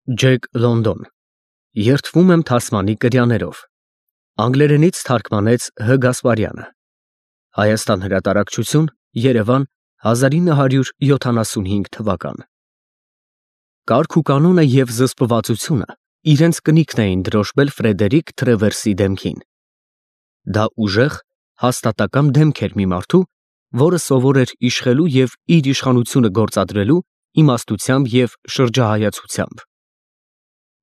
Ջեք Լոնդոն, երդվում եմ թասմանի կրյաներով, անգլերենից թարգմանեց Հ. Գասպարյանը, Հայաստան հրատարակչություն, Երևան 1975 թվական։ Կարգ ու կանոնը և զսպվածությունը իրենց կնիքն էին դրոշմել Ֆրեդերիկ Թրևերսի դեմքին։ Դա ուժեղ, հաստատակամ դեմք էր մի մարդու, որը սովոր էր իշխելու և իր իշխանությունը գործադրելու իմաստությամբ և շրջահայացությամբ։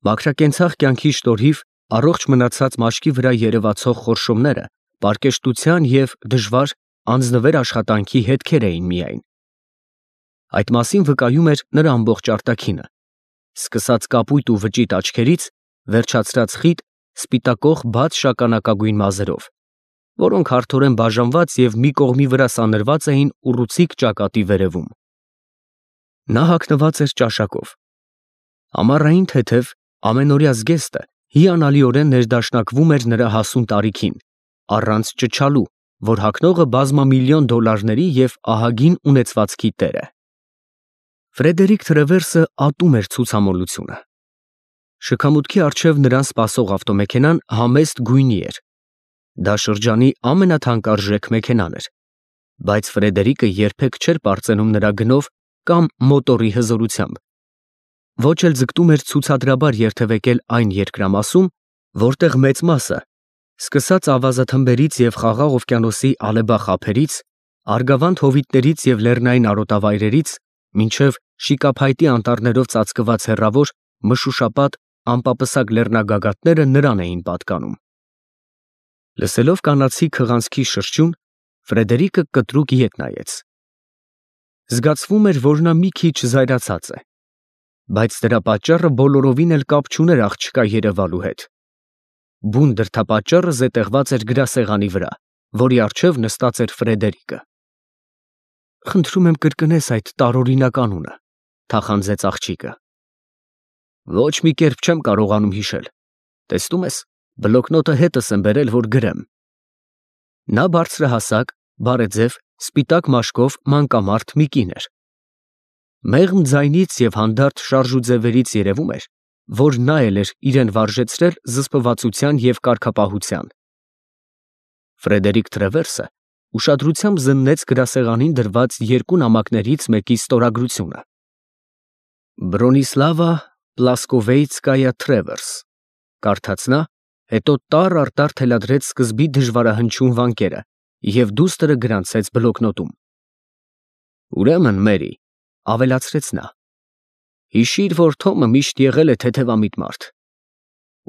Մաքրակենցաղ կյանքի շնորհիվ առողջ մնացած մաշկի վրա երևացող խորշումները պարկեշտության և դժվար անձնվեր աշխատանքի հետքեր էին միայն։ Այդ մասին վկայում էր նրա ամբողջ արտաքինը, սկսած կապույտ ու վճիտ աչքերից, վերջացրած խիտ, սպիտակող բաց շագանակագույն մազերով, որոնք հարթորեն բաժանված և մի կողմի վրա սանրված էին ուռուցիկ ճակատի վերևում։ Նա հագնված էր ճաշակով։ Ամառային թեթև, ամենօրյա զգեստը հիանալիորեն ներդաշնակվում էր նրա հասուն տարիքին, առանց ճչալու, որ հագնողը բազմամիլիոն դոլարների և ահագին ունեցվածքի տեր է։ Ֆրեդերիկ Թրևերսը ատում էր ցուցամոլությունը։ Շքամուտքի առջև նրան սպասող ավտոմեքենան համեստ գույնի էր։ Դա շրջանի ամենաթանկարժեք մեքենան էր, բայց Ֆրեդերիկը երբեք չէր պարծենում նրա գնով կամ մոտորի հզորությամբ, ոչ էլ ձգտում էր ցուցադրաբար երթևեկել այն երկրամասում, որտեղ մեծ մասը, սկսած ավազաթմբերից և Խաղաղ օվկիանոսի ալեբախ ափերից, Արգավանդ հովիտներից և լեռնային արոտավայրերից, մինչև շիկափայտի անտառներով ծածկված հեռավոր, մշուշապատ, անպապսակ լեռնագագաթները նրան էին պատկանում։ Լսելով կանացի քղանցքի շրշյուն, Ֆրեդերիկը կտրուկ ետ նայեց։ Զգացվում էր, որ նա մի քիչ զայրացած է, բայց դրա պատճառը բոլորովին էլ կապ չուներ աղջկա երևալու հետ։ Բուն դրդապատճառը զետեղված էր գրասեղանի վրա, որի առջև նստած էր Ֆրեդերիկը։ Խնդրում եմ կրկնես այդ տարօրինակ անունը, թախանձեց աղջիկը։ Ոչ մի կերպ չեմ կարողանում հիշել։ Տեսնում ես, բլոկնոտը հետս եմ բերել, որ գրեմ։ Նա բարձրահասակ, բարեձև, սպիտակ մաշկով մանկամարդ մի կին էր։ Մեղմ ձայնից և հանդարտ շարժուձևերից երևում էր, որ նա էլ էր իրեն վարժեցրել զսպվածության և կարգապահության։ Ֆրեդերիկ Թրևերսը ուշադրությամբ զննեց գրասեղանին դրված երկու նամակներից մեկի ստորագրությունը։ Բրոնիսլավա Պլասկովեյցկայա Թրևերս, կարդաց նա, հետո տառ առ տառ թելադրեց սկզբի դժվարահնչյուն վանկերը և դուստր գրանցեց բլոկնոտում։ Ուրեմն, Մերի, ավելացրեց նա, հիշիր, որ Թոմը միշտ եղել է թեթևամիտ մարդ,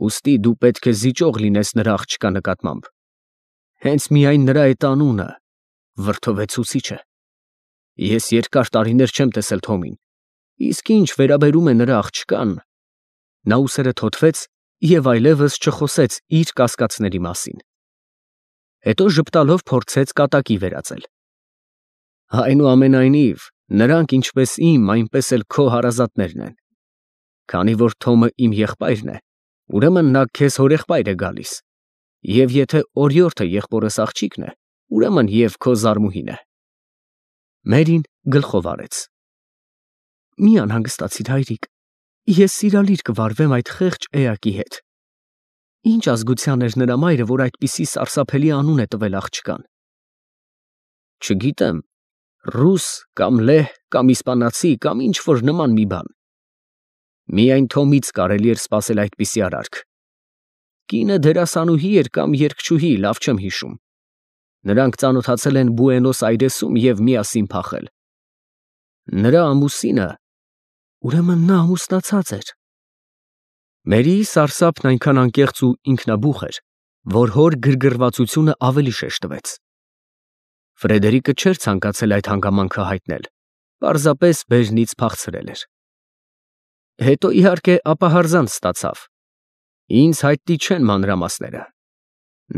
ուստի դու պետք է զիջող լինես նրա աղջկա նկատմամբ։ Հենց միայն նրա այդ անունը վրդովեցուցիչ է։ Ես երկար տարիներ չեմ տեսել Թոմին, իսկ ինչ վերաբերում է նրա աղջկան… Նա ուսերը թոթվեց և այլևս չխոսեց իր կասկածների մասին։ Հետո ժպտալով փորձեց կատակի վերածել։ Այնուամենայնիվ, նրանք ինչպես իմ, այնպես էլ քո հարազատներն են։ Քանի որ Թոմը իմ եղբայրն է, ուրեմն նա քեզ հորեղբայր է գալիս, և եթե օրիորդը եղբորս աղջիկն է, ուրեմն և քո զարմուհին է։ Մերին գլխով արեց։ Մի անհանգստացիր, հայրիկ, ես սիրալիր կվարվեմ այդ խեղճ էակի հետ։ Ինչ ազգության էր նրա մայրը, որ այդպիսի սարսափելի անուն է տվել աղջկան։ Չգիտեմ, ռուս կամ լեհ կամ իսպանացի կամ ինչ֊որ նման մի բան։ Միայն Թոմից կարելի էր սպասել այդպիսի արարք։ Կինը դերասանուհի էր կամ երգչուհի, լավ չեմ հիշում։ Նրանք ծանոթացել են Բուենոս Այրեսում և միասին փախել։ Նրա ամուսինը… Ուրեմն նա ամուսնացած էր։ Մերիի սարսափն այնքան անկեղծ ու ինքնաբուխ էր, որ հոր գրգռվածությունը ավելի շեշտվեց։ Ֆրեդերիկը չէր ցանկացել այդ հանգամանքը հայտնել, պարզապես բեժնից փախցրել էր։ Հետո, իհարկե, ապահարզանց ստացավ։ Ինձ հայտնի չեն մանրամասները։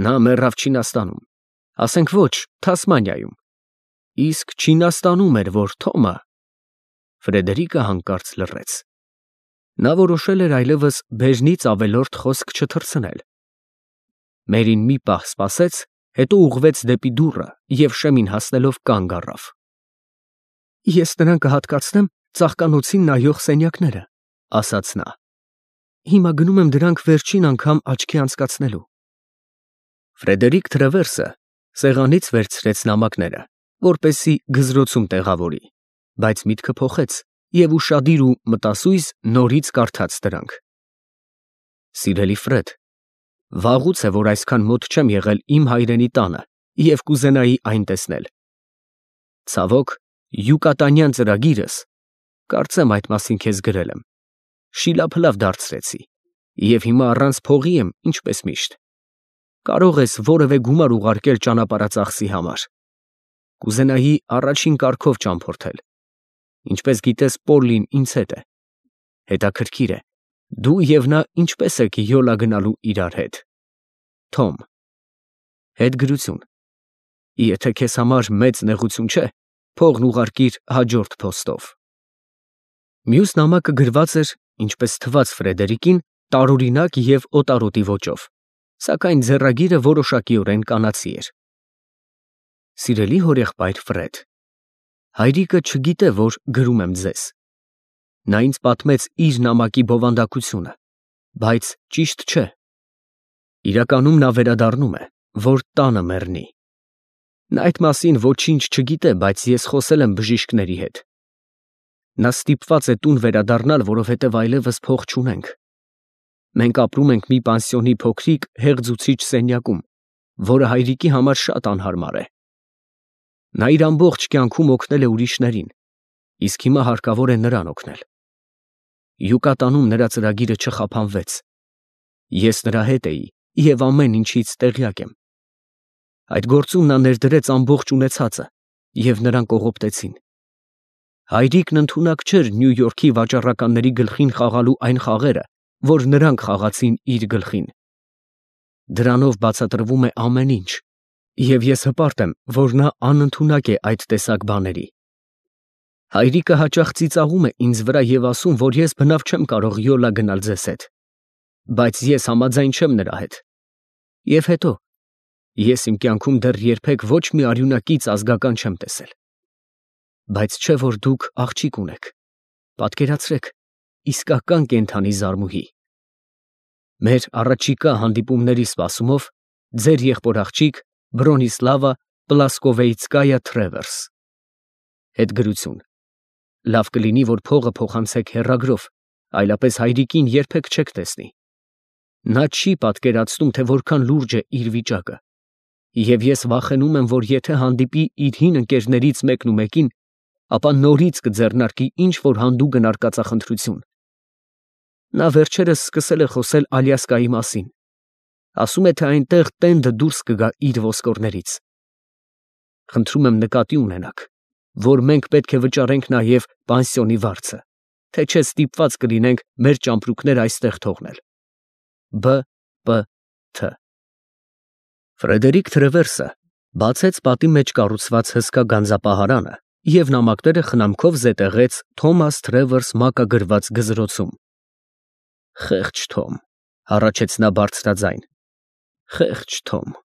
Նա մեռավ Չինաստանում, ասենք ոչ, Թասմանիայում, իսկ Չինաստանում էր, որ Թոմը… Ֆրեդերիկը հանկարծ լռեց։ Նա որոշել էր այլևս բեժնից ավելորդ խոսք չթռցնել։ Մերին մի պահ սպասեց, հետո ուղղվեց դեպի դուռը և շեմին հասնելով կանգ առավ։ Ես նրան կհատկացնեմ ծաղկանոցին նայող սենյակները, ասաց նա։ հիմա գնում եմ դրանք վերջին անգամ աչքի անցկացնելու։ Ֆրեդերիկ Թրևերսը սեղանից վերցրեց նամակները, որպեսզի գզրոցում տեղավորի, բայց միտքը փոխեց և ուշադիր ու մտասույզ նորից կարդաց դրանք։ Սիրելի Ֆրեդ, վաղուց է, որ այսքան մոտ չեմ եղել իմ հայրենի տանը և կուզենայի այն տեսնել։ Ցավոք, յուկատանյան ծրագիրս, կարծեմ այդ մասին քեզ գրել եմ, շիլափլավ դարձրեցի և հիմա առանց փողի եմ, ինչպես միշտ։ Կարող ես որևէ գումար ուղարկել ճանապարհածախսի համար։ Կուզենայի առաջին կարգով ճամփորդել։ Ինչպես գիտես, Պոլլին ինձ հետ է։ Հետաքրքիր է, դու և նա ինչպես եք յոլա գնալու իրար հետ։ Թոմ։ Հետգրություն։ Եթե քեզ համար մեծ նեղություն չէ, փողն ուղարկիր հաջորդ փոստով։ Մյուս նամակը գրված էր, ինչպես թվաց Ֆրեդերիկին, տարօրինակ և օտարոտի ոճով, սակայն ձեռագիրը որոշակիորեն կանացի էր։ Սիրելի հորեղբայր Ֆրեդ, հայրիկը չգիտե, որ գրում եմ ձեզ։ Նա ինձ պատմեց իր նամակի բովանդակությունը, բայց ճիշտ չէ։ Իրականում նա վերադառնում է, որ տանը մեռնի։ Նա այդ մասին ոչինչ չգիտե, բայց ես խոսել եմ բժիշկների հետ։ Նա ստիպված է տուն վերադառնալ, որովհետև այլևս փող չունենք։ Մենք ապրում ենք մի պանսիոնի փոքրիկ հեղձուցիչ սենյակում, որը հայրիկի համար շատ անհարմար է։ Նա իր ամբողջ կյանքում օգնել է ուրիշներին, իսկ հիմա հարկավոր է նրան օգնել։ Յուկատանում նրա ծրագիրը չխափանվեց։ Ես նրա հետ էի և ամեն ինչից տեղյակ եմ։ Այդ գործում նա ներդրեց ամբողջ ունեցածը և նրան կողոպտեցին։ Հայրիկն ընդունակ չէր Նյու Յորքի վաճառականների գլխին խաղալու այն խաղերը, որ նրանք խաղացին իր գլխին։ Դրանով բացատրվում է ամեն ինչ, և ես հպարտ եմ, որ նա անընդունակ է այդ տեսակ բաների։ Հայրիկը հաճախ ծիծաղում է ինձ վրա և ասում, որ ես բնավ չեմ կարող յոլա գնալ ձեզ հետ, բայց ես համաձայն չեմ նրա հետ։ Եվ հետո, ես իմ կյանքում դեռ երբեք ոչ մի արյունակից ազգական չեմ տեսել։ Բայց չէ՞ որ դուք աղջիկ ունեք, պատկերացրեք, իսկական կենդանի զարմուհի։ Մեր առաջիկա հանդիպումների սպասումով ձեր եղբոր աղջիկ Բրոնիսլավա Պլասկովեիցկայա Թրևերս։ Հետգրություն։ Լավ կլինի, որ փողը փոխանցեք հեռագրով, այլապես հայրիկին երբեք չեք տեսնի։ Նա չի պատկերացնում, թե որքան լուրջ է իր վիճակը, և ես վախենում եմ, որ եթե հանդիպի իր հին ընկերներից մեկնումեկին, ապա նորից կձեռնարկի ինչ-որ հանդուգն արկածախնդրություն։ Նա վերջերս սկսել է խոսել Ալյասկայի մասին։ Ասում է, թե այնտեղ տենդը դուրս կգա իր ոսկորներից։ Խնդրում եմ նկատի ունենաք, որ մենք պետք է վճարենք նաև պանսիոնի վարձը, թե չէ ստիպված կլինենք մեր ճամպրուկները այստեղ թողնել։ Բ. Պ. Თ. Ֆրեդերիկ Թրևերսը բացեց պատի մեջ կառուցված հսկա գանձապահարանը և նամակները խնամքով զետեղեց Թոմաս Թրևերս մակագրված գզրոցում։ Խեղճ Թոմ, հառաչեց նա բարձրաձայն, խեղճ Թոմ։